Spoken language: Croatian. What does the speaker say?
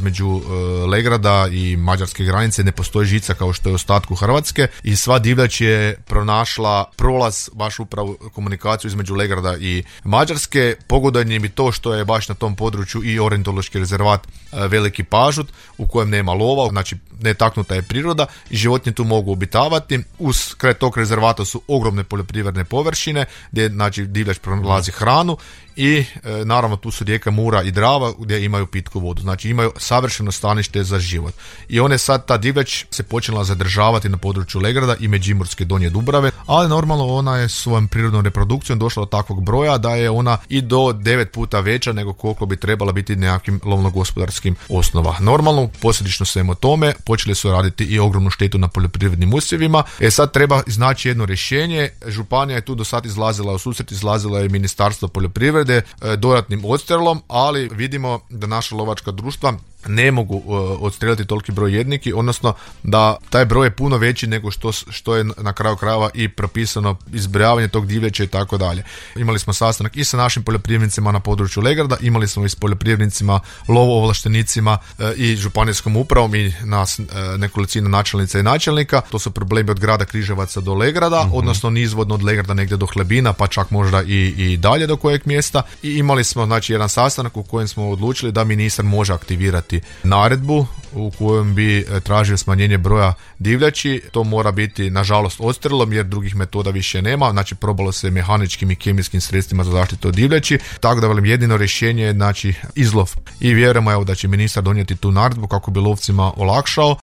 između Legrada i mađarske granice ne postoji žica kao što je u ostatku Hrvatske i sva divljač je pronašla prolaz, baš upravo komunikaciju između Legrada i Mađarske. Pogodanje mi to što je baš na tom području i ornitološki rezervat Veliki Pažut u kojem nema lova, znači netaknuta je priroda i životinje tu mogu obitavati. Uz kraj tog rezervata su ogromne poljoprivredne površine gdje znači divljač pronalazi hranu i naravno tu su rijeka Mura i Drava gdje imaju pitku vodu, znači imaju savršeno stanište za život. I one sad, ta divljač se počela zadržavati na području Legrada i Međimurske Donje Dubrave, ali normalno ona je svojom prirodnom reprodukcijom došla do takvog broja da je ona i do 9 puta veća nego koliko bi trebala biti nekakvim lovno-gospodarskim osnova. Normalno, posljedično svemu tome, počeli su raditi i ogromnu štetu na poljoprivrednim usjevima. Sad treba iznaći jedno rješenje. Županija je tu do sad izlazila u susret, izlazila je Ministarstvo poljoprivrede dodatnim odstrelom, ali vidimo da naša lovačka društva ne mogu odstreliti toliki broj jedniki, odnosno da taj broj je puno veći nego što je na kraju krajeva i propisano izbrojavanje tog divljača i tako dalje. Imali smo sastanak i sa našim poljoprivrednicima na području Legrada, imali smo i s poljoprivrednicima, lovoovlaštenicima i županijskom upravom i nas nekolicina načelnica i načelnika. To su problemi od grada Križevaca do Legrada, odnosno nizvodno od Legrada negdje do Hlebina, pa čak možda i dalje do kojeg mjesta. I imali smo znači jedan sastanak u kojem smo odlučili da ministar može aktivirati naredbu u kojem bi tražio smanjenje broja divljači. To mora biti nažalost odstrelom jer drugih metoda više nema, znači probalo se mehaničkim i kemijskim sredstvima za zaštitu od divljači, tako da velim jedino rješenje je znači izlov i vjerujemo evo da će ministar donijeti tu naredbu kako bi lovcima olakšao.